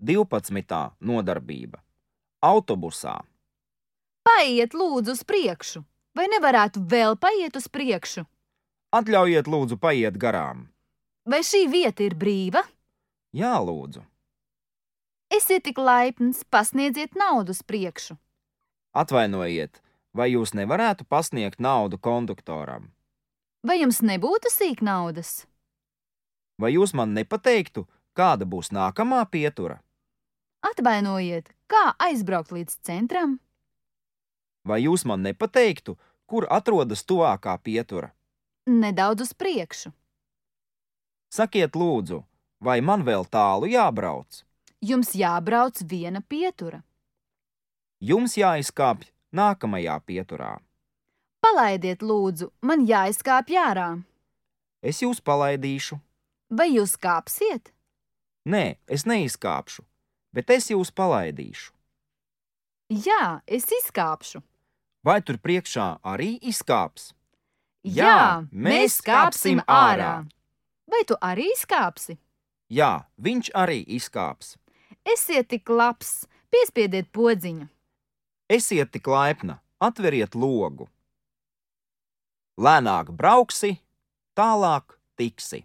12. nodarbība. Autobusā. Paiet lūdzu uz priekšu. Vai nevarētu vēl paiet uz priekšu? Atļaujiet lūdzu paiet garām. Vai šī vieta ir brīva? Jā, lūdzu. Esiet tik laipns, pasniedziet naudu uz priekšu. Atvainojiet, vai jūs nevarētu pasniegt naudu konduktoram? Vai jums nebūtu sīk naudas? Vai jūs man nepateiktu, kāda būs nākamā pietura? Atvainojiet, kā aizbraukt līdz centram? Vai jūs man nepateiktu, kur atrodas tuvākā pietura? Nedaudz uz priekšu. Sakiet lūdzu, vai man vēl tālu jābrauc? Jums jābrauc viena pietura. Jums jāizkāpj nākamajā pieturā. Palaidiet lūdzu, man jāizkāpj ārā. Es jūs palaidīšu. Vai jūs kāpsiet? Nē, es neizkāpšu, bet es jūs palaidīšu. Jā, es izkāpšu. Vai tur priekšā arī izkāps? Jā, mēs kāpsim ārā. Vai tu arī izkāpsi? Jā, viņš arī izkāps. Esiet tik labs, piespiediet podziņu. Esiet tik laipna, atveriet logu. Lēnāk brauksi, tālāk tiksi.